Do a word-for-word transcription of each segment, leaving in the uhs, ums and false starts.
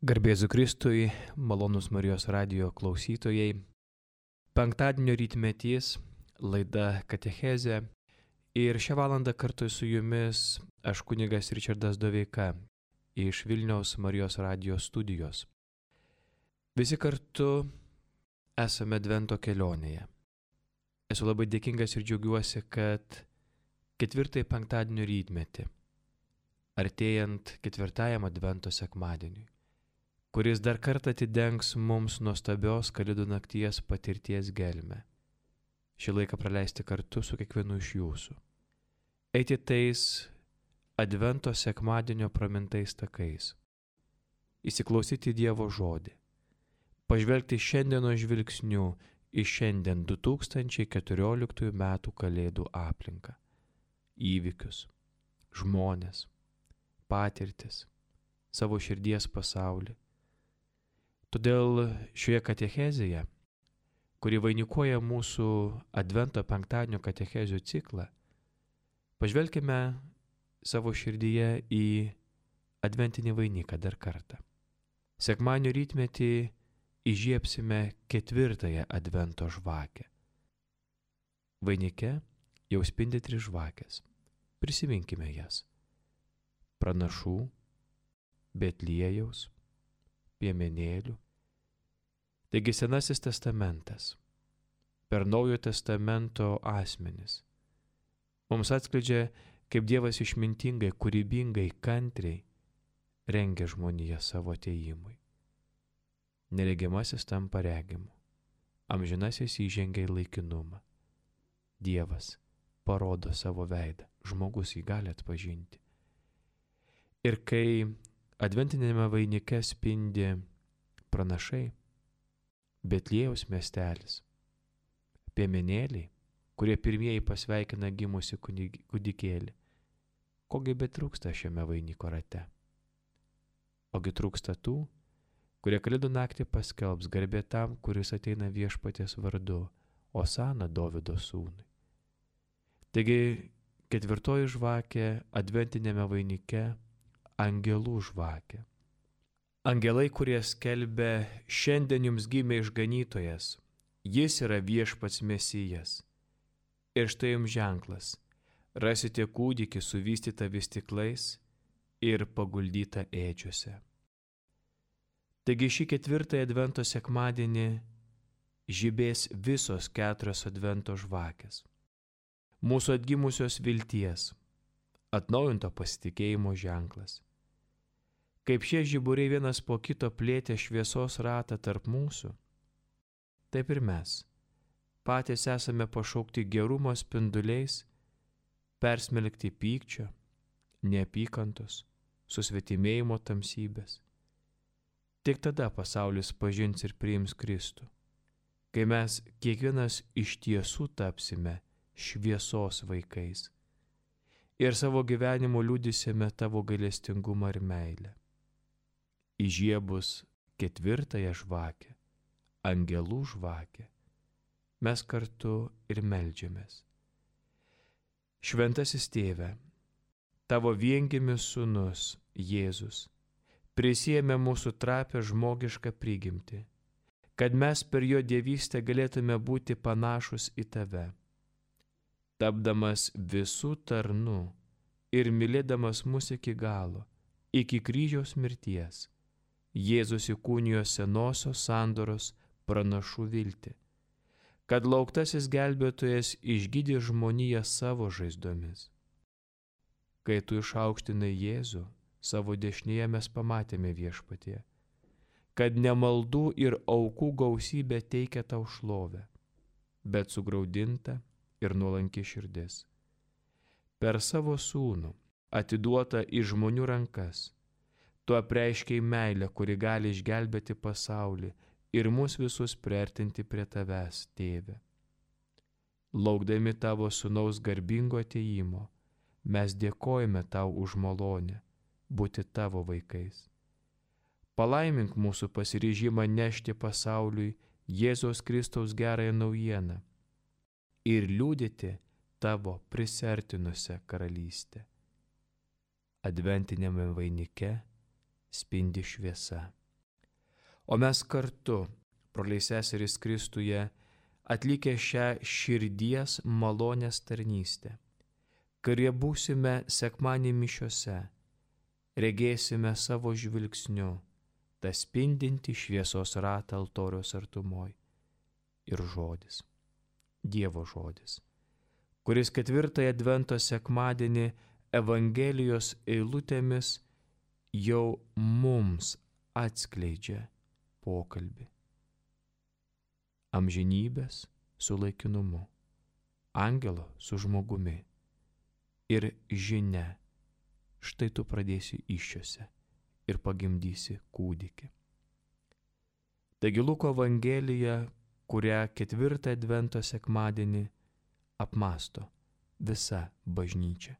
Garbėzu Kristui, malonus Marijos radijo klausytojai. Penktadienio rytmetys, laida Katechezė. Ir šią valandą kartu su jumis aš kunigas Ričardas Doveika iš Vilniaus Marijos radijo studijos. Visi kartu esame Advento kelionėje. Esu labai dėkingas ir džiaugiuosi, kad ketvirtąjį penktadienio rytmetį, artėjant ketvirtajam Advento sekmadieniui, kuris dar kartą atidengs mums nuostabios Kalėdų nakties patirties gelmę. Šį laiką praleisti kartu su kiekvienu iš jūsų. Eiti tais Advento sekmadienio pramintais takais. Įsiklausyti Dievo žodį. Pažvelgti šiandieno žvilgsniu į šiandien du tūkstančiai keturioliktųjų metų Kalėdų aplinką. Įvykius, žmones, patirtis, savo širdies pasaulį. Todėl šioje katechezėje, kuri vainikuoja mūsų Advento penktadienio katechezių ciklą, pažvelkime savo širdyje į adventinį vainiką dar kartą. Sekmadienio rytmetį įžiebsime ketvirtąją Advento žvakę. Vainike jau spindi tris žvakės. Prisiminkime jas. Pranašų, Betliejaus, piemenėlių. Taigi Senasis testamentas, per Naujojo testamento asmenis, mums atskleidžia, kaip Dievas išmintingai, kūrybingai, kantriai rengia žmoniją savo atėjimui. Neregimasis tampa regimu, amžinasis įžengia į laikinumą. Dievas parodo savo veidą, žmogus jį gali atpažinti. Ir kai adventinėme vainike spindi pranašai, Betliejaus miestelis, piemenėliai, kurie pirmieji pasveikina gimusi kūdikėlį, kogi betrūksta šiame vainiko rate? Ogi trūksta tų, kurie Kalėdų naktį paskelbs garbė tam, kuris ateina Viešpaties vardu, Osana Dovydo sūnui. Taigi ketvirtoji žvakė adventinėme vainike — angelų žvakė. Angelai, kurie skelbia, šiandien jums gimė išganytojas, jis yra Viešpats Mesijas. Ir štai jums ženklas, rasite kūdikį suvystytą vystyklais ir paguldytą ėdžiose. Taigi šį ketvirtąjį Advento sekmadienį žibės visos keturios Advento žvakės. Mūsų atgimusios vilties, atnaujinto pasitikėjimo ženklas. Kaip šie žiburiai vienas po kito plėtė šviesos ratą tarp mūsų, taip ir mes patys esame pašaukti gerumo spinduliais, persmelkti pykčio, neapykantos, susvetimėjimo tamsybės. Tik tada pasaulis pažins ir priims Kristų, kai mes kiekvienas iš tiesų tapsime šviesos vaikais ir savo gyvenimu liudysime tavo gailestingumą ir meilę. Įžiebus ketvirtąją žvakę, angelų žvakę, mes kartu ir meldžiamės. Šventasis Tėve, tavo viengimis sūnus Jėzus prisiėmė mūsų trapią žmogišką prigimtį, kad mes per jo dievystę galėtume būti panašus į tave. Tapdamas visų tarnu ir mylėdamas mus iki galo, iki kryžiaus mirties, Jėzus įkūnijo senosios sandoros pranašų viltį, kad lauktasis gelbėtojas išgydė žmoniją savo žaizdomis. Kai tu išaukštinai Jėzų, savo dešinėje mes pamatėme Viešpatie, kad ne maldų ir aukų gausybė teikia tau šlovę, bet sugraudinta ir nuolanki širdis. Per savo sūnų, atiduotą į žmonių rankas, tu apreiškei meilę, kuri gali išgelbėti pasaulį ir mus visus priartinti prie tavęs, Tėve. Laukdami tavo sūnaus garbingo atėjimo, mes dėkojame tau už malonę būti tavo vaikais. Palaimink mūsų pasiryžimą nešti pasauliui Jėzaus Kristaus gerąją naujieną ir liudyti tavo prisertinusią karalystę. Adventinėme vainike spindi šviesa. O mes kartu, broliai seserys Kristuje, atlikę šią širdies malonės tarnystę, kurie būsime sekmadienį mišiose, regėsime savo žvilgsniu tą spindintį šviesos ratą altoriaus artumoj ir žodis, Dievo žodis, kuris ketvirtąją advento sekmadienį Evangelijos eilutėmis jau mums atskleidžia pokalbį. Amžinybės su laikinumu, angelo su žmogumi ir žinia, štai tu pradėsi įsčiose ir pagimdysi kūdikį. Taigi Luko Evangelija, kurią ketvirtą advento sekmadienį apmąsto visa bažnyčia.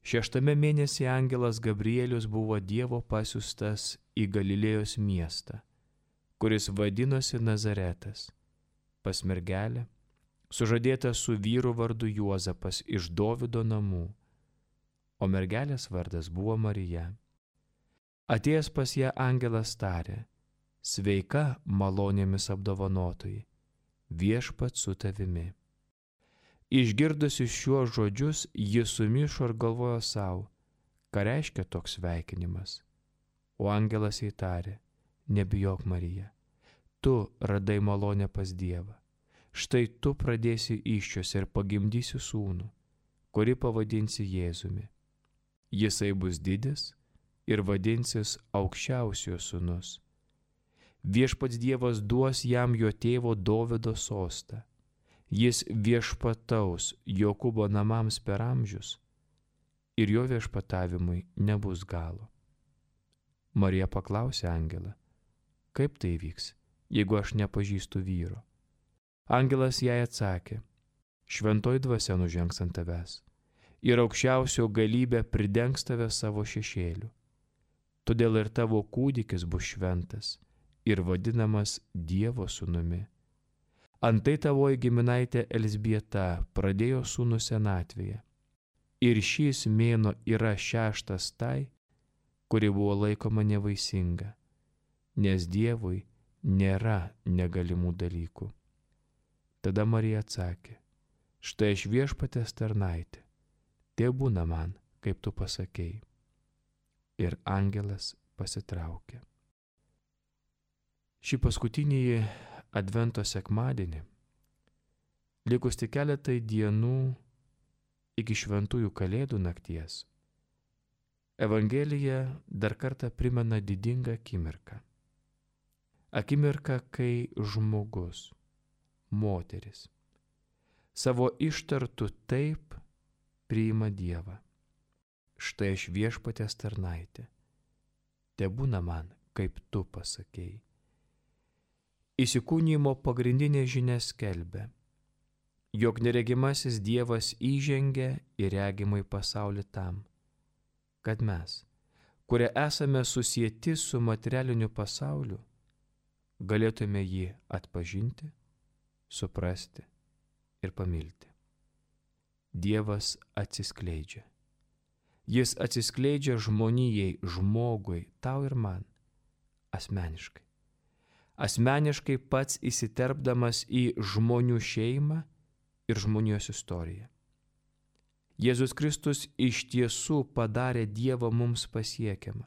Šeštame mėnesį angelas Gabrielius buvo Dievo pasiųstas į Galilėjos miestą, kuris vadinosi Nazaretas, pas mergelę, sužadėta su vyru vardu Juozapas iš Dovydo namų, o mergelės vardas buvo Marija. Atėjęs pas ją angelas tarė: sveika, malonėmis apdovanotoji, viešpats su tavimi. Išgirdusi šiuos žodžius, ji sumišo ir galvojo savo, ką reiškia toks sveikinimas. O angelas jai tarė: nebijok, Marija, tu radai malonę pas Dievą. Štai tu pradėsi įsčiose ir pagimdysi sūnų, kurį pavadinsi Jėzumi. Jisai bus didis ir vadinsis aukščiausiojo sūnus. Viešpats Dievas duos jam jo tėvo Dovydo sostą. Jis viešpataus Jokūbo namams per amžius ir jo viešpatavimui nebus galo. Marija paklausė angelą: kaip tai vyks, jeigu aš nepažįstu vyro? Angelas jai atsakė: šventoji dvasia nužengs ant tavęs ir aukščiausio galybė pridengs tave savo šešėliu. Todėl ir tavo kūdikis bus šventas ir vadinamas Dievo sūnumi. Antai tavoji giminaitė Elzbieta pradėjo sūnų senatvėje. Ir šis mėnuo yra šeštas tai, kuri buvo laikoma nevaisinga, nes Dievui nėra negalimų dalykų. Tada Marija atsakė: štai aš viešpaties tarnaitė, tebūna man, kaip tu pasakei. Ir angelas pasitraukė. Šį paskutinį advento sekmadienį, likus tik keletai dienų iki šventųjų kalėdų nakties, Evangelija dar kartą primena didingą akimirką. Akimirką, kai žmogus, moteris, savo ištartu taip priima Dievą. Štai aš viešpaties tarnaitė, tebūna man, kaip tu pasakei. Įsikūnijimo pagrindinė žinia skelbia, jog neregimasis Dievas įžengia į regimąjį pasaulį tam, kad mes, kurie esame susieti su materialiniu pasauliu, galėtume jį atpažinti, suprasti ir pamilti. Dievas atsiskleidžia. Jis atsiskleidžia žmonijai, žmogui, tau ir man, asmeniškai. Asmeniškai pats įsiterpdamas į žmonių šeimą ir žmonijos istoriją. Jėzus Kristus iš tiesų padarė Dievą mums pasiekiamą,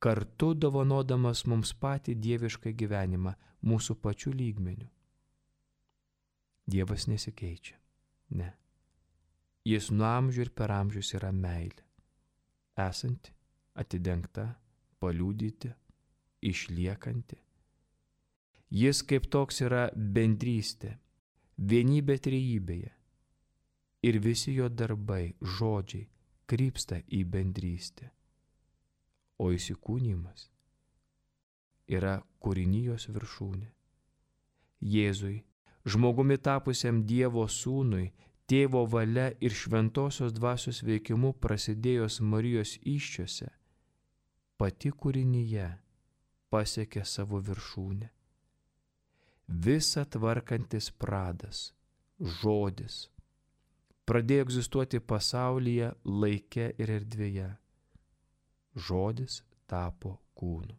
kartu dovanodamas mums patį dievišką gyvenimą mūsų pačių lygmenių. Dievas nesikeičia, ne. Jis nuo amžių ir per amžius yra meilė, esanti, atidengta, paliudyti, išliekanti. Jis kaip toks yra bendrystė, vienybė trejybėje ir visi jo darbai, žodžiai krypsta į bendrystę. O įsikūnijimas yra kūrinijos viršūnė. Jėzui, žmogumi tapusiam Dievo sūnui, Tėvo valia ir šventosios dvasios veikimu prasidėjus Marijos įsčiose, pati kūrinyje pasiekė savo viršūnę. Visa tvarkantis pradas, žodis, pradėjo egzistuoti pasaulyje, laike ir erdvėje. Žodis tapo kūnu.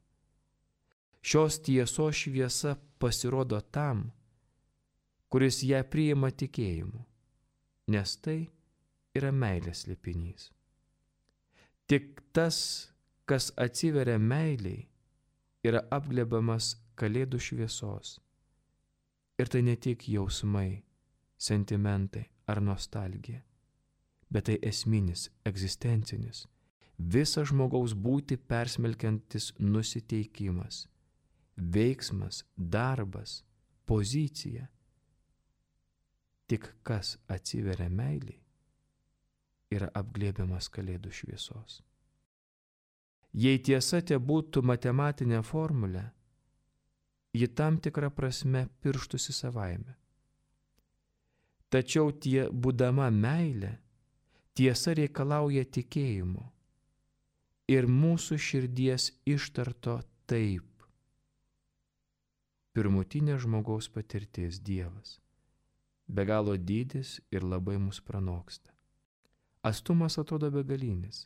Šios tiesos šviesa pasirodo tam, kuris ją priima tikėjimu, nes tai yra meilės slėpinys. Tik tas, kas atsiveria meiliai, yra apglėbiamas kalėdų šviesos. Ir tai ne tik jausmai, sentimentai ar nostalgija, bet tai esminis, egzistencinis, visą žmogaus būtį persmelkiantis nusiteikimas, veiksmas, darbas, pozicija. Tik kas atsiveria meiliai, yra apglėbiamas kalėdų šviesos. Jei tiesa te būtų matematinė formulė, ji tam tikrą prasme pirštųsi savaime. Tačiau tie būdama meilė, tiesa reikalauja tikėjimo ir mūsų širdies ištarto taip. Pirmutinė žmogaus patirtis Dievas, be galo dydis ir labai mus pranoksta. Atstumas atrodo begalinis,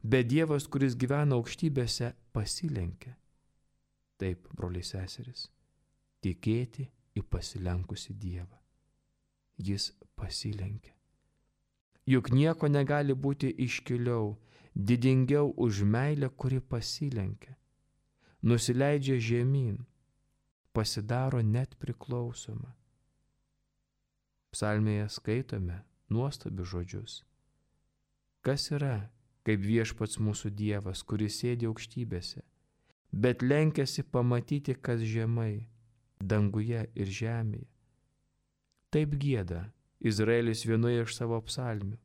bet Dievas, kuris gyvena aukštybėse, pasilenkia. Taip, broliai seserys, tikėti į pasilenkusi Dievą. Jis pasilenkia. Juk nieko negali būti iškiliau, didingiau už meilę, kuri pasilenkia, nusileidžia žemyn, pasidaro net priklausoma. Psalmėje skaitome nuostabius žodžius. Kas yra, kaip viešpats mūsų Dievas, kuris sėdi aukštybėse, bet lenkiasi pamatyti, kas žemai, danguje ir žemėje. Taip gieda Izraelis vienoje iš savo psalmių,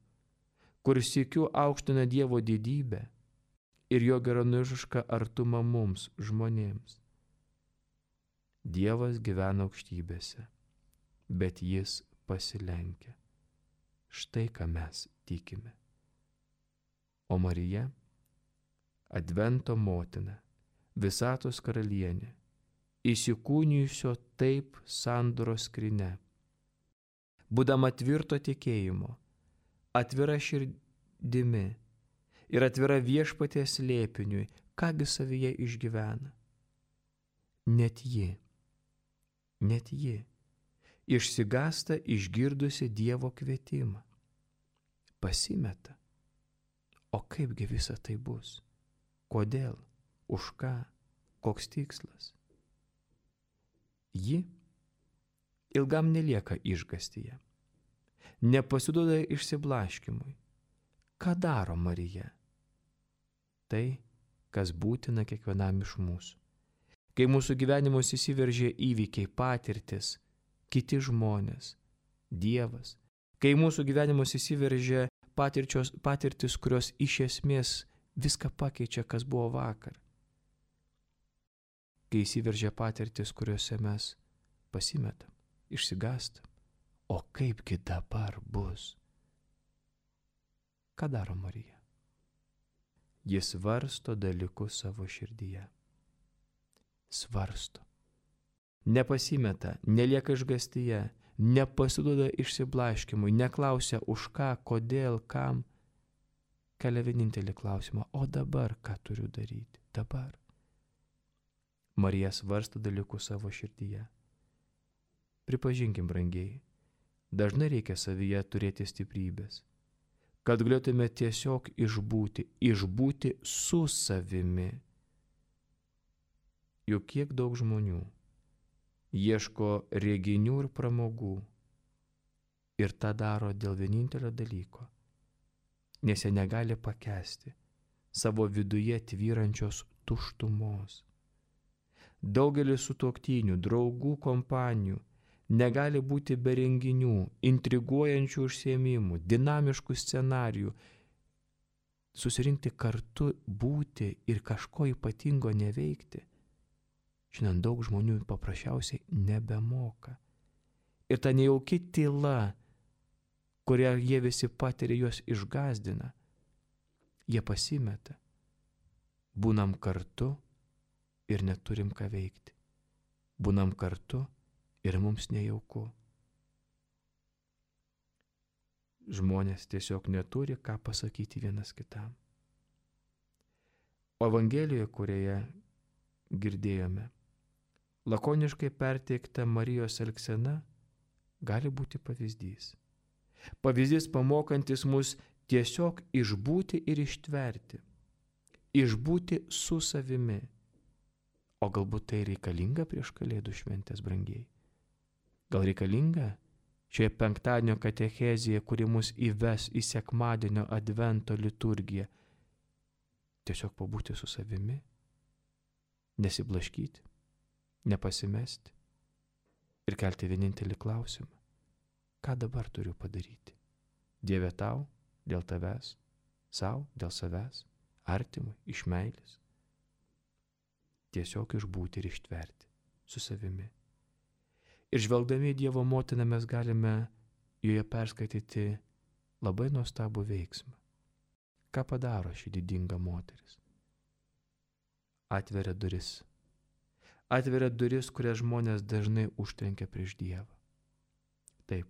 kur sykiu aukština Dievo didybę ir jo geranorišką artumą mums, žmonėms. Dievas gyvena aukštybėse, bet jis pasilenkia. Štai ką mes tikime. O Marija, Advento motina, visatos karalienė, įsikūnijusio taip sandoros skryne, būdama tvirto tikėjimo, atvira širdimi ir atvira viešpaties slėpiniui, kągi savyje išgyvena. Net ji, net ji, išsigąsta išgirdusi Dievo kvietimą. Pasimeta. O kaipgi visa tai bus? Kodėl? Už ką? Koks tikslas? Ji ilgam nelieka išgąstyje. Nepasiduoda išsiblaškimui. Ką daro Marija? Tai, kas būtina kiekvienam iš mūsų. Kai mūsų gyvenimus įsiveržia įvykiai, patirtis, kiti žmonės, Dievas, kai mūsų gyvenimus įsiveržia patirčios, patirtis, kurios iš esmės viską pakeičia, kas buvo vakar. Kai įsiveržia patirtis, kuriuose mes pasimetam, išsigąstam, o kaipgi dabar bus? Ką daro Marija? Jis svarsto dalykus savo širdyje. Svarsto. Nepasimeta, nelieka išgąstyje, nepasiduoda išsiblaškimui, neklausia už ką, kodėl, kam. Kelia vienintelį klausimą, o dabar ką turiu daryti? Dabar. Marija svarsto dalykus savo širdyje. Pripažinkim, brangiai, dažnai reikia savyje turėti stiprybės, kad galėtume tiesiog išbūti, išbūti su savimi. Juk kiek daug žmonių ieško reginių ir pramogų ir tą daro dėl vienintelio dalyko, nes jie negali pakęsti savo viduje tvyrančios tuštumos. Daugelis sutuoktinių, draugų kompanijų negali būti be renginių, intriguojančių užsiėmimų, dinamiškų scenarijų, susirinkti kartu, būti ir kažko ypatingo neveikti. Šiandien daug žmonių paprasčiausiai nebemoka. Ir ta nejauki tyla, kurią jie visi patiria, juos išgąsdina. Jie pasimeta. Būnam kartu ir neturim ką veikti. Būnam kartu ir mums nejauku. Žmonės tiesiog neturi ką pasakyti vienas kitam. O Evangelijoje, kurioje girdėjome. Lakoniškai perteikta Marijos elgsena gali būti pavyzdys. Pavyzdys pamokantis mus tiesiog išbūti ir ištverti. Išbūti su savimi. O galbūt tai reikalinga prieš Kalėdų šventės, brangiai? Gal reikalinga šioje penktadienio katechezėje, kuri mus įves į sekmadienio advento liturgiją, tiesiog pabūti su savimi, nesiblaškyti, nepasimesti ir kelti vienintelį klausimą: ką dabar turiu padaryti? Dieve tau, dėl tavęs, sau, dėl savęs, artimui, iš meilės. Tiesiog išbūti ir ištverti su savimi. Ir žvelgdami į Dievo motiną mes galime joje perskaityti labai nuostabų veiksmą. Ką padaro ši didinga moteris? Atveria duris. Atveria duris, kurias žmonės dažnai užtrenkia prieš Dievą. Taip,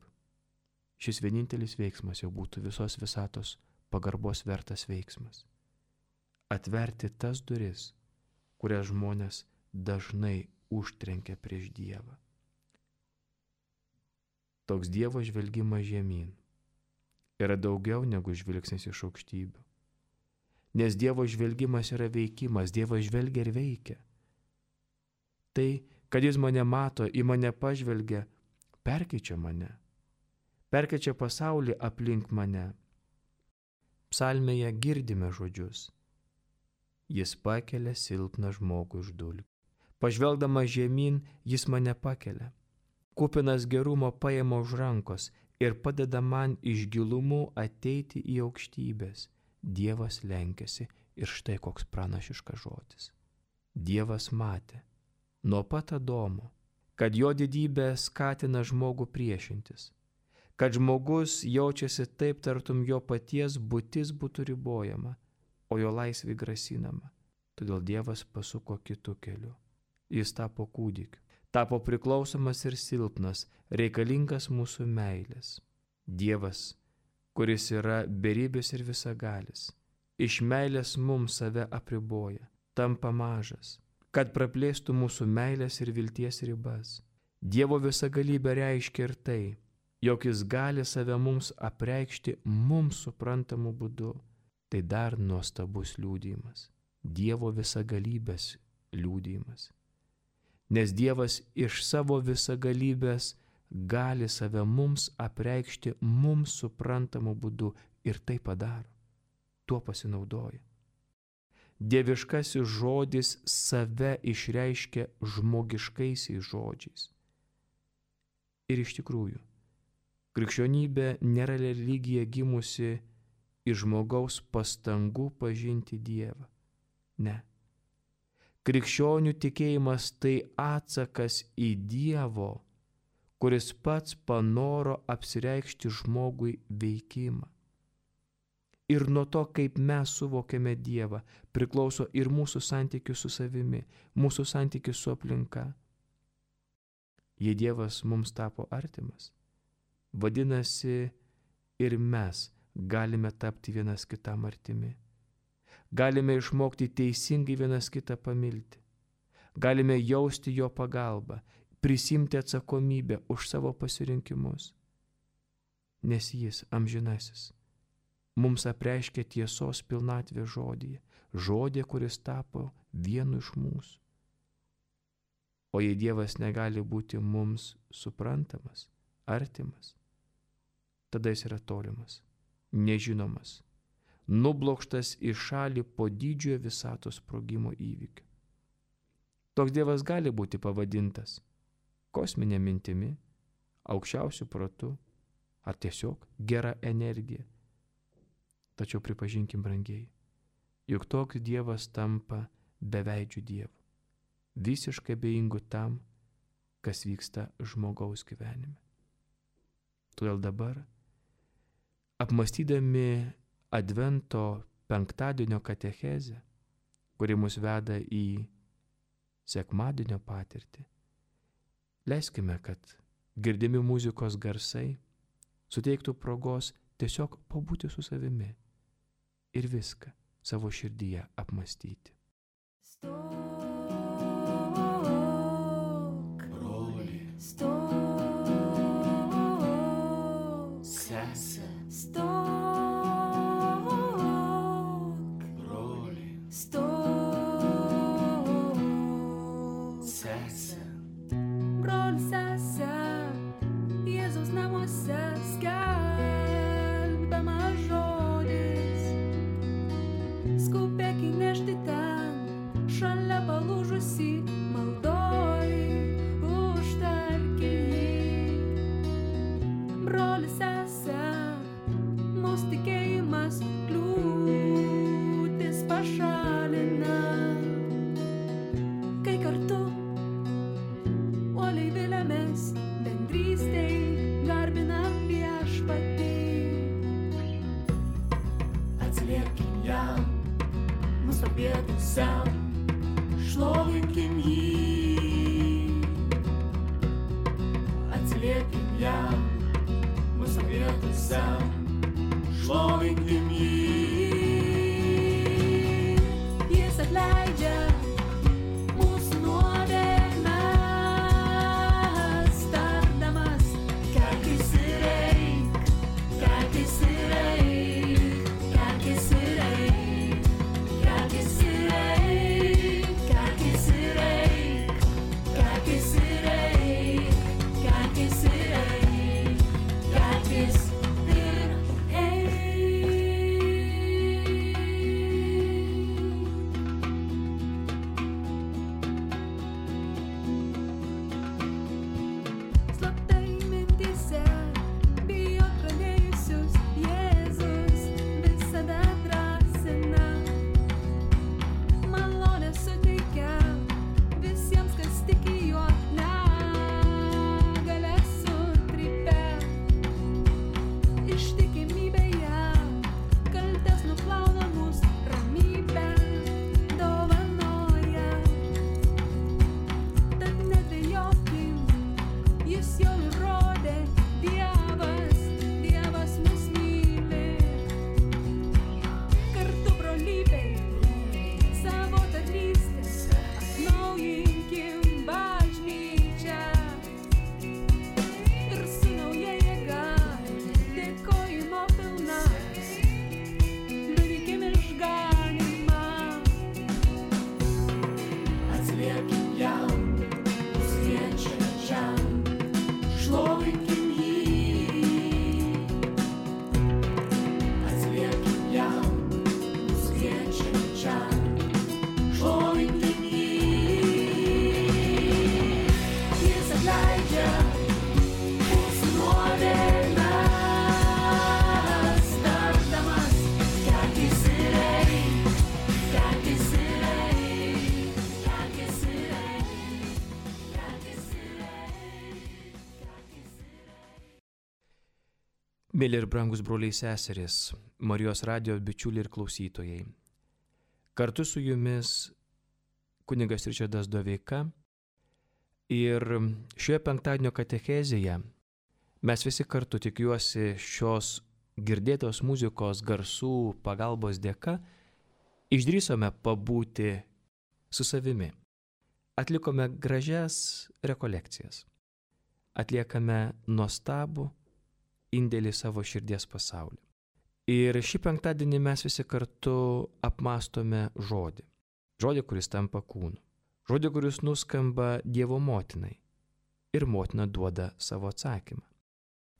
šis vienintelis veiksmas jau būtų visos visatos pagarbos vertas veiksmas. Atverti tas duris, kurias žmonės dažnai užtrenkia prieš Dievą. Toks Dievo žvelgimas žemyn yra daugiau negu žvilgsnis iš aukštybių. Nes Dievo žvelgimas yra veikimas, Dievas žvelgia ir veikia. Tai, kad Jis mane mato, į mane pažvelgia, perkeičia mane. Perkeičia pasaulį aplink mane. Psalmėje girdime žodžius: Jis pakelia silpną žmogų iš dulkių. Pažvelgdamas žemyn, Jis mane pakelia. Kupinas gerumo paima už rankos ir padeda man iš gilumų ateiti į aukštybės. Dievas lenkiasi ir štai koks pranašiškas žodis. Dievas matė nuo pat Adomo, kad jo didybė skatina žmogų priešintis, kad žmogus jaučiasi taip, tartum jo paties būtis būtų ribojama, o jo laisvė grasinama. Todėl Dievas pasuko kitu keliu. Jis tapo kūdikiu, tapo priklausomas ir silpnas, reikalingas mūsų meilės. Dievas, kuris yra beribis ir visagalis, iš meilės mums save apriboja, tampa mažas, kad praplėstų mūsų meilės ir vilties ribas. Dievo visagalybė reiškia ir tai, jog Jis gali save mums apreikšti mums suprantamu būdu. Tai dar nuostabus liudijimas, Dievo visagalybės liudijimas. Nes Dievas iš savo visagalybės gali save mums apreikšti mums suprantamu būdu ir tai padaro. Tuo pasinaudoja. Dieviškasis žodis save išreiškia žmogiškaisiais žodžiais. Ir iš tikrųjų, krikščionybė nėra religija gimusi iš žmogaus pastangų pažinti Dievą. Ne. Krikščionių tikėjimas tai atsakas į Dievo, kuris pats panoro apsireikšti žmogui veikimą. Ir nuo to, kaip mes suvokiame Dievą, priklauso ir mūsų santykis su savimi, mūsų santykis su aplinka. Jei Dievas mums tapo artimas, vadinasi, ir mes galime tapti vienas kitam artimi. Galime išmokti teisingai vienas kitą pamilti. Galime jausti jo pagalbą, prisimti atsakomybę už savo pasirinkimus. Nes Jis, amžinasis, mums apreiškia tiesos pilnatvę žodyje, žodį, kuris tapo vienu iš mūsų. O jei Dievas negali būti mums suprantamas, artimas, tada Jis yra tolimas, nežinomas, nublokštas į šalį po didžiojo visatos sprogimo įvykio. Toks Dievas gali būti pavadintas kosminė mintimi, aukščiausiu protu ar tiesiog gera energija. Tačiau pripažinkim, brangiai, juk toks Dievas tampa beveidžiu Dievu, visiškai abejingu tam, kas vyksta žmogaus gyvenime. Todėl dabar, apmąstydami Advento penktadienio katechezę, kuri mus veda į sekmadienio patirtį, leiskime, kad girdimi muzikos garsai suteiktų progos tiesiog pabūti su savimi ir viską savo širdyje apmąstyti. Stop. šalia palūžusi maldoj, užtarki jį. Brolis sese, mūsų tikėjimas kliūtis pašalina, kai kartu uoliai viliamės bendrystei, garbinam viešpatį. Atsiliepkim jam, mūsų pietusiam, šlovinkim jį. Atsiliepkim jam, mūsų pietusiam, šlovinkim jį. Jis atleidžia mūsų nuodėmes, tardamas, kelkis ir eik, kelkis ir eik, kelkis ir eik, kelkis ir eik, kelkis ir eik, kelkis ir eik, kelkis ir eik, kelkis ir eik. Slaptai mintyse, bijot pradėjusius, Jėzus visada drąsina. Malonę suteikia visiems, kas tiki juo, negalią sutrypia. Ištikimybėje kaltes nuplauna mus, ramybę dovanoja. Tad nedvejokim, jis jau įrodė, Dievas, Dievas mus myli. Kartu brolybei savo tarnystę atnaujinkim bažnyčią. Ir su nauja jėga, dėkojimo pilna, liudykim išganymą. Atsiliepkim jam, mus kviečiančiam, šlovinkim jį. Atsiliepkim jam, mus kviečiančiam, šlovinkim jį. Jis atleidžia mūsų nuodėmes, tardamas, kelkis ir eik, kelkis ir eik, kelkis ir eik, kelkis ir eik, kelkis ir eik. Mėly ir brangus broliai seserys, Marijos radijo bičiuliai ir klausytojai. Kartu su jumis kunigas Ričardas Doveika ir šioje penktadienio katechezėje mes visi kartu, tikiuosi, šios girdėtos muzikos garsų pagalbos dėka išdrįsome pabūti su savimi. Atlikome gražias rekolekcijas. Atliekame nuostabų indėlį savo širdies pasaulį. Ir šį penktadienį mes visi kartu apmastome žodį. Žodį, kuris tampa kūnu. Žodį, kuris nuskamba Dievo motinai. Ir motina duoda savo atsakymą.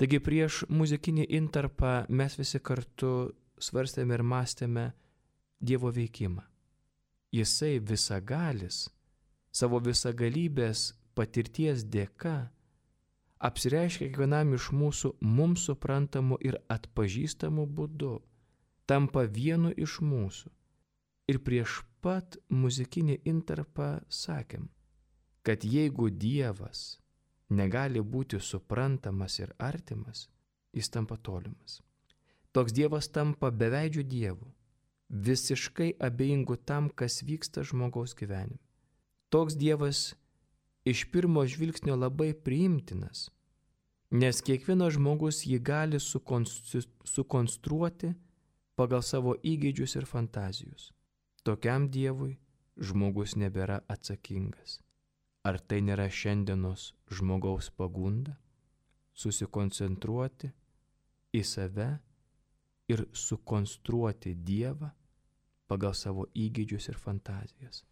Taigi prieš muzikinį intarpą mes visi kartu svarstėme ir mąstėme Dievo veikimą. Jisai visagalis, savo visagalybės patirties dėka, apsireiškia kiekvienam iš mūsų mums suprantamu ir atpažįstamu būdu, tampa vienu iš mūsų. Ir prieš pat muzikinį intarpą sakėm, kad jeigu Dievas negali būti suprantamas ir artimas, jis tampa tolimas. Toks Dievas tampa beveidžiu Dievu, visiškai abejingu tam, kas vyksta žmogaus gyvenime. Toks Dievas iš pirmo žvilgsnio labai priimtinas, nes kiekvienas žmogus jį gali sukonstru- sukonstruoti pagal savo įgeidžius ir fantazijus. Tokiam Dievui žmogus nebėra atsakingas. Ar tai nėra šiandienos žmogaus pagunda? Susikoncentruoti į save ir sukonstruoti Dievą pagal savo įgeidžius ir fantazijas.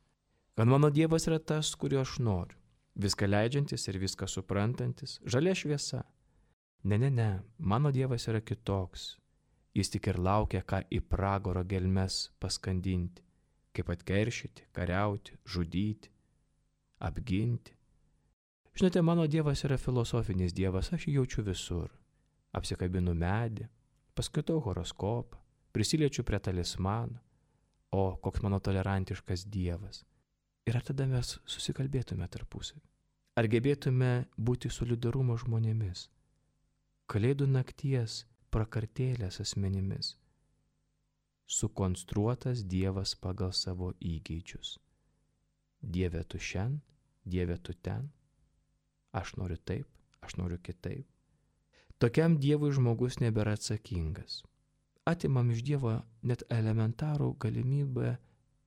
Kad mano Dievas yra tas, kurio aš noriu, viską leidžiantis ir viską suprantantis, žalia šviesa. Ne, ne, ne, mano Dievas yra kitoks. Jis tik ir laukia, ką į pragaro gelmes paskandinti, kaip atkeršyti, kariauti, žudyti, apginti. Žinote, mano Dievas yra filosofinis Dievas, aš jį jaučiu visur. Apsikabinu medį, paskaitau horoskopą, prisiliečiu prie talismano, o koks mano tolerantiškas Dievas. Ir ar tada mes susikalbėtume tarpusavį? Ar gebėtume būti solidarumo žmonėmis? Kalėdų nakties prakartėlės asmenimis. Sukonstruotas Dievas pagal savo įgeidžius. Dieve tu šen, Dieve tu ten. Aš noriu taip, aš noriu kitaip. Tokiam Dievui žmogus nebėra atsakingas. Atimam iš Dievo net elementarų galimybę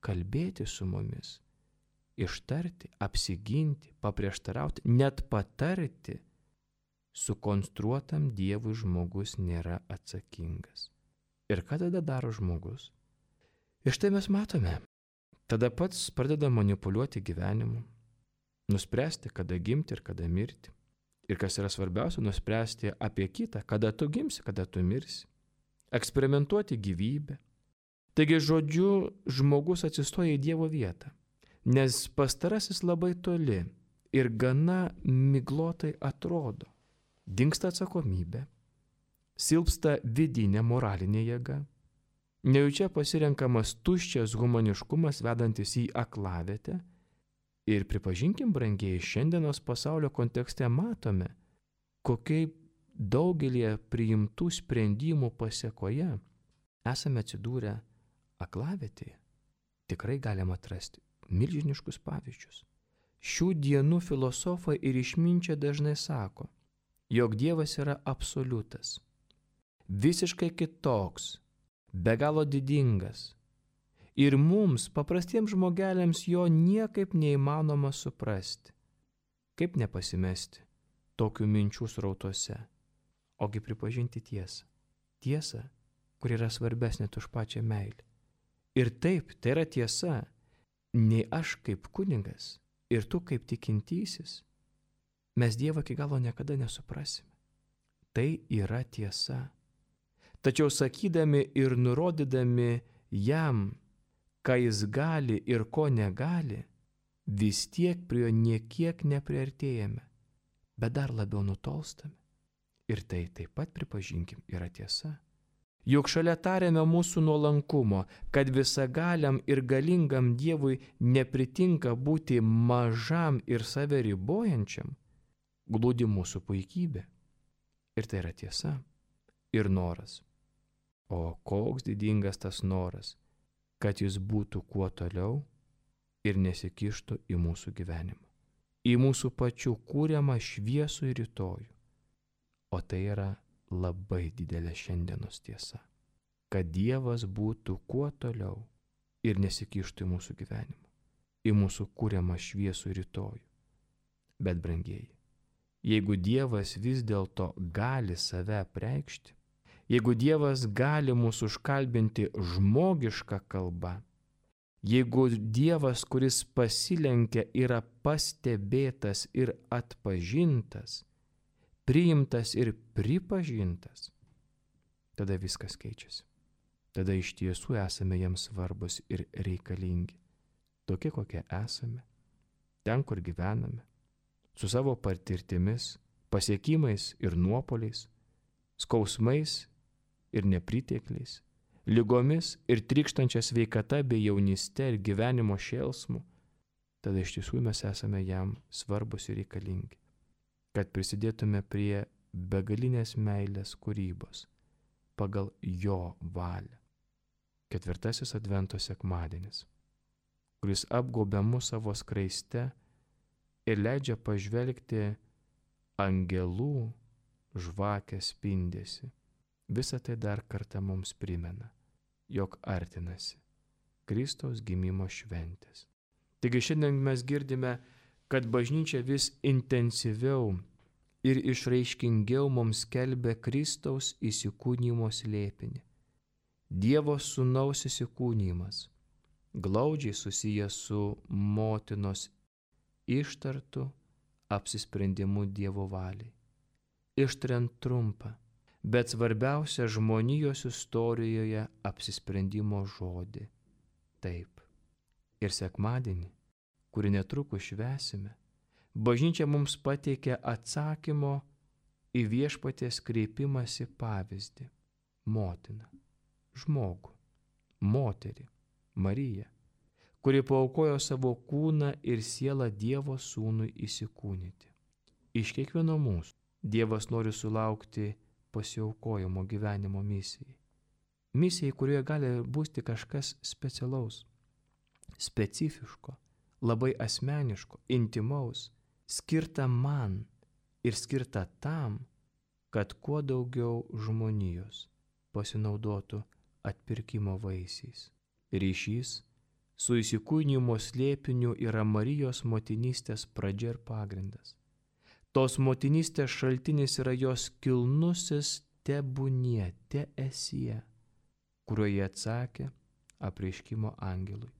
kalbėti su mumis, ištarti, apsiginti, paprieštarauti, net patarti. Sukonstruotam Dievui žmogus nėra atsakingas. Ir ką tada daro žmogus? Ir štai mes matome. Tada pats pradeda manipuliuoti gyvenimu, nuspręsti, kada gimti ir kada mirti. Ir kas yra svarbiausia, nuspręsti apie kitą, kada tu gimsi, kada tu mirsi. Eksperimentuoti gyvybę. Taigi žodžiu, žmogus atsistoja į Dievo vietą, nes pastarasis labai toli ir gana miglotai atrodo. Dingsta atsakomybė, silpsta vidinė moralinė jėga, nejučia pasirenkamas tuščias humaniškumas vedantis į aklavietę. Ir pripažinkim, brangieji, šiandienos pasaulio kontekste matome, kokiai daugelie priimtų sprendimų pasėkoje esame atsidūrę aklavietėje. Tikrai galima atrasti milžiniškus pavyzdžius. Šių dienų filosofai ir išminčiai dažnai sako, jog Dievas yra absoliutas, visiškai kitoks, be galo didingas. Ir mums, paprastiems žmogeliams, jo niekaip neįmanoma suprasti. Kaip nepasimesti tokių minčių srautuose, ogi pripažinti tiesą. Tiesą, kur yra svarbesnė už pačią meilę. Ir taip, tai yra tiesa, nei aš kaip kunigas ir tu kaip tikintysis, mes Dievą iki galo niekada nesuprasime. Tai yra tiesa. Tačiau sakydami ir nurodydami jam, ką jis gali ir ko negali, vis tiek prie jo niekiek nepriartėjame, bet dar labiau nutolstame. Ir tai taip pat, pripažinkim, yra tiesa. Juk šalia tariame mūsų nuolankumo, kad visagaliam ir galingam Dievui nepritinka būti mažam ir save ribojančiam, glūdi mūsų puikybė. Ir tai yra tiesa. Ir noras. O koks didingas tas noras, kad jis būtų kuo toliau ir nesikištų į mūsų gyvenimą, į mūsų pačių kūriamą šviesų ir rytojų. O tai yra labai didelė šiandienos tiesa, kad Dievas būtų kuo toliau ir nesikištų į mūsų gyvenimą, į mūsų kūriamą šviesų ir rytojų. Bet, brangieji, jeigu Dievas vis dėlto gali save apreikšti, jeigu Dievas gali mūsų užkalbinti žmogišką kalbą, jeigu Dievas, kuris pasilenkia, yra pastebėtas ir atpažintas, priimtas ir pripažintas, tada viskas keičiasi. Tada iš tiesų esame jam svarbus ir reikalingi, tokie kokie esame, ten, kur gyvename, su savo patirtimis, pasiekimais ir nuopoliais, skausmais ir nepritekliais, lygomis ir trykštančia sveikata bei jaunyste ir gyvenimo šėlsmu, tada iš tiesų mes esame jam svarbus ir reikalingi, kad prisidėtume prie begalinės meilės kūrybos pagal jo valią. Ketvirtasis Advento sekmadienis, kuris apgaubia mus savo skraiste ir leidžia pažvelgti angelų žvakės spindesį. Visa tai dar kartą mums primena, jog artinasi Kristaus gimimo šventės. Taigi šiandien mes girdime, kad bažnyčia vis intensyviau ir išraiškingiau mums skelbia Kristaus įsikūnijimo slėpinį. Dievo sūnaus įsikūnijimas, glaudžiai susijęs su motinos ištartu apsisprendimu Dievo valiai. Ištariant trumpą, bet svarbiausia žmonijos istorijoje apsisprendimo žodį. Taip, Ir sekmadienį, kurį netrukus švęsime, bažnyčia mums pateikia atsakymo į viešpaties kreipimąsi pavyzdį - motiną, žmogų, moterį, Mariją, kuri paaukojo savo kūną ir sielą Dievo sūnui įsikūnyti. Iš kiekvieno mūsų Dievas nori sulaukti pasiaukojimo gyvenimo misijai. Misijai, kurioje gali būti kažkas specialaus, specifiško, labai asmeniško, intimaus, skirta man ir skirta tam, kad kuo daugiau žmonijos pasinaudotų atpirkimo vaisiais. Ryšys su įsikūnijimo slėpiniu yra Marijos motinystės pradžia ir pagrindas. Tos motinystės šaltinis yra jos kilnusis tebūnie, te esie, kuriuo jie atsakė apreiškimo angelui,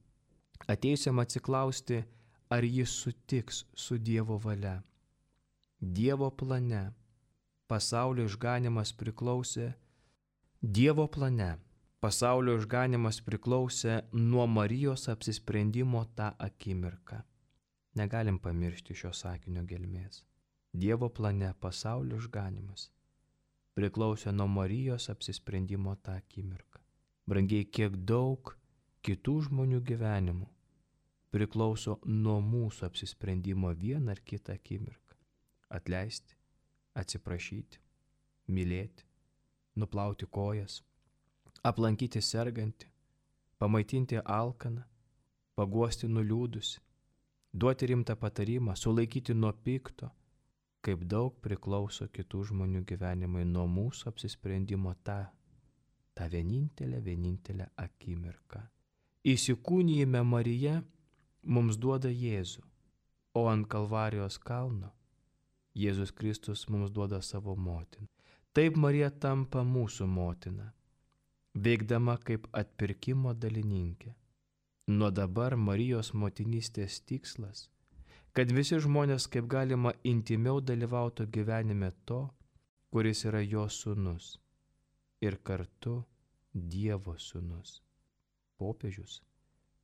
atėjusiam atsiklausti, ar jis sutiks su Dievo valia. Dievo plane pasaulio išganimas priklausė Dievo plane pasaulio išganimas priklausė nuo Marijos apsisprendimo tą akimirką. Negalim pamiršti šio sakinio gelmės. Dievo plane pasaulio išganimas priklausė nuo Marijos apsisprendimo tą akimirką. Brangiai, kiek daug kitų žmonių gyvenimų priklauso nuo mūsų apsisprendimo vieną ar kitą akimirką. Atleisti, atsiprašyti, mylėti, nuplauti kojas, aplankyti sergantį, pamaitinti alkaną, paguosti nuliūdusi, duoti rimtą patarimą, sulaikyti nuo pikto, kaip daug priklauso kitų žmonių gyvenimai nuo mūsų apsisprendimo tą, tą vienintelę, vienintelę akimirką. Įsikūnijime Marija mums duoda Jėzų, o ant Kalvarijos kalno Jėzus Kristus mums duoda savo motiną. Taip Marija tampa mūsų motina, veikdama kaip atpirkimo dalininkė. Nuo dabar Marijos motinystės tikslas, kad visi žmonės kaip galima intimiau dalyvautų gyvenime to, kuris yra jo sūnus ir kartu Dievo sūnus. Popiežius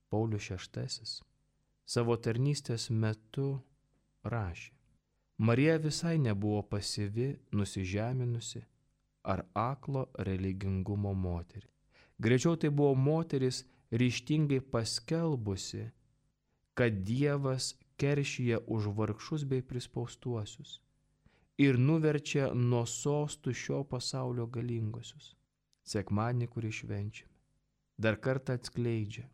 Paulius šeštasis savo tarnystės metu rašė: Marija visai nebuvo pasyvi, nusižeminusi ar aklo religingumo moterį. Greičiau tai buvo moteris ryžtingai paskelbusi, kad Dievas keršyje už vargšus bei prispaustuosius ir nuverčia nuo sostų šio pasaulio galingosius. Sekmadienį, kurį švenčiame, dar kartą atskleidžia,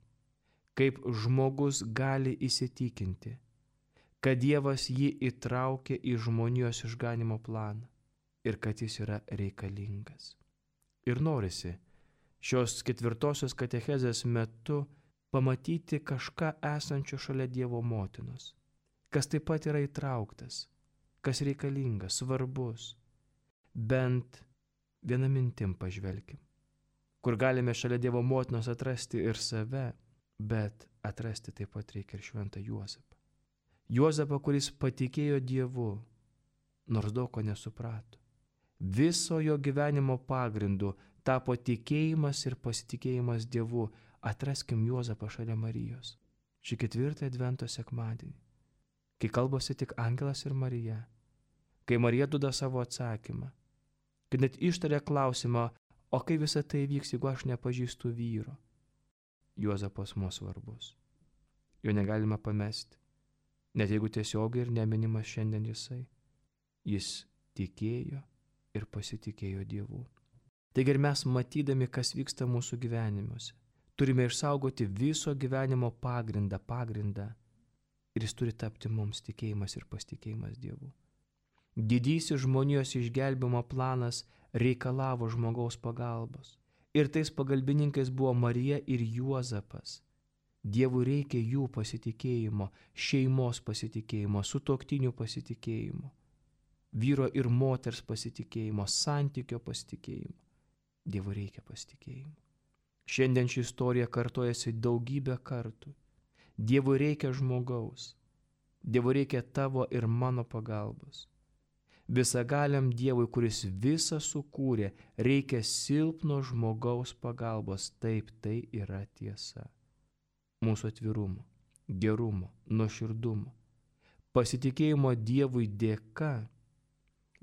kaip žmogus gali įsitikinti, kad Dievas jį įtraukė į žmonijos išganimo planą ir kad jis yra reikalingas. Ir norisi šios ketvirtosios katechezės metu pamatyti kažką esančio šalia Dievo motinos, kas taip pat yra įtrauktas, kas reikalingas, svarbus. Bent vieną mintim pažvelkim, kur galime šalia Dievo motinos atrasti ir save, bet atrasti taip pat reikia ir šventą Juozapą. Juozapą, kuris patikėjo Dievu, nors daug ko nesuprato. Viso jo gyvenimo pagrindu tapo tikėjimas ir pasitikėjimas Dievu. Atraskim Juozapą šalia Marijos. Šį ketvirtą advento sekmadienį, kai kalbasi tik angelas ir Marija, kai Marija duoda savo atsakymą, kai net ištaria klausimą, o kaip visą tai vyks, jeigu aš nepažįstu vyro. Juozapas mums svarbus. Jo negalima pamesti, net jeigu tiesiogiai ir neminimas šiandien jisai. Jis tikėjo ir pasitikėjo Dievu. Taigi ir mes, matydami, kas vyksta mūsų gyvenimuose, turime išsaugoti viso gyvenimo pagrindą, pagrindą, ir jis turi tapti mums tikėjimas ir pasitikėjimas Dievu. Didysis žmonijos išgelbimo planas reikalavo žmogaus pagalbos. Ir tais pagalbininkais buvo Marija ir Juozapas. Dievui reikia jų pasitikėjimo, šeimos pasitikėjimo, sutuoktinių pasitikėjimo, vyro ir moters pasitikėjimo, santykio pasitikėjimo. Dievui reikia pasitikėjimo. Šiandien ši istorija kartojasi daugybę kartų. Dievui reikia žmogaus. Dievui reikia tavo ir mano pagalbos. Visagaliam Dievui, kuris visą sukūrė, reikia silpno žmogaus pagalbos. Taip, tai yra tiesa. Mūsų atvirumo, gerumo, nuoširdumo, pasitikėjimo Dievui dėka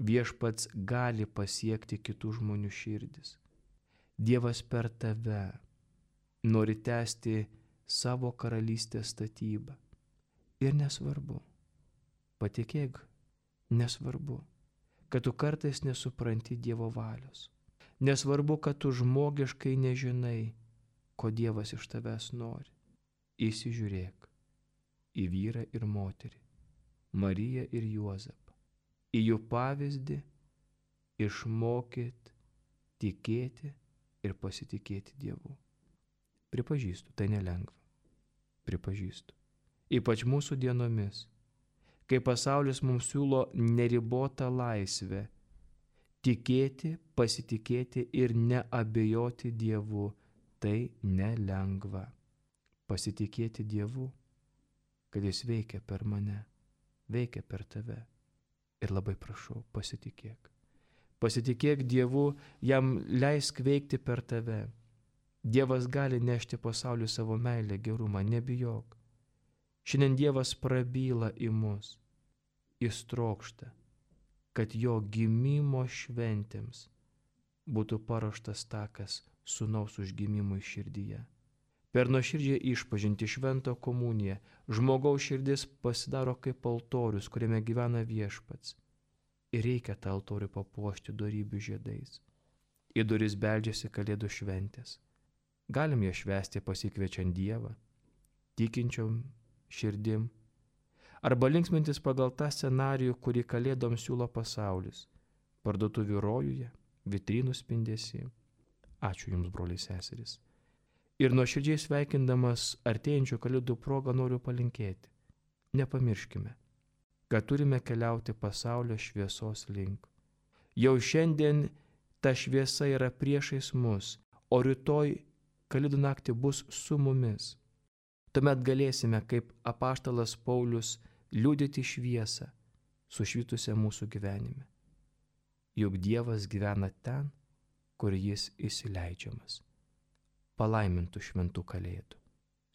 Viešpats gali pasiekti kitų žmonių širdis. Dievas per tave nori tęsti savo karalystės statybą. Ir nesvarbu, patikėk, nesvarbu, kad tu kartais nesupranti Dievo valios. Nesvarbu, kad tu žmogiškai nežinai, ko Dievas iš tavęs nori. Įsižiūrėk į vyrą ir moterį, Mariją ir Juozapą, į jų pavyzdį, išmokyt tikėti ir pasitikėti Dievu. Pripažįstu, tai nelengva. Pripažįstu. Ypač mūsų dienomis, kai pasaulis mums siūlo neribotą laisvę, tikėti, pasitikėti ir neabejoti Dievu, tai nelengva. Pasitikėti Dievu, kad Jis veikia per mane, veikia per tave. Ir labai prašau, pasitikėk. Pasitikėk Dievu, jam leisk veikti per tave. Dievas gali nešti pasauliu savo meilę, gerumą, nebijok. Šiandien Dievas prabyla į mus. Jis trokšta, kad jo gimimo šventėms būtų paruoštas takas sūnaus užgimimui širdyje. Per nuoširdžią išpažinti šventą komuniją žmogaus širdis pasidaro kaip altorius, kuriame gyvena Viešpats. Ir reikia tą altorių papuošti dorybių žiedais. Į duris beldžiasi Kalėdų šventės. Galim ją švęsti pasikviečiant Dievą, tikinčiom širdim, arba linksmintis pagal tą scenarijų, kurį Kalėdoms siūlo pasaulis, parduotuvių rojuje, vitrinų spindesy. Ačiū Jums, broliai seserys. Ir nuoširdžiai sveikindamas artėjančių Kalėdų progą noriu palinkėti. Nepamirškime, kad turime keliauti pasaulio šviesos link. Jau šiandien ta šviesa yra priešais mus, o rytoj Kalėdų naktį bus su mumis. Tuomet galėsime, kaip apaštalas Paulius, liudyti šviesą, sušvitusią mūsų gyvenime. Juk Dievas gyvena ten, kur Jis įsileidžiamas. Palaimintų šventų Kalėdų.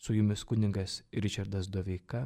Su Jumis kunigas Ričardas Doveika.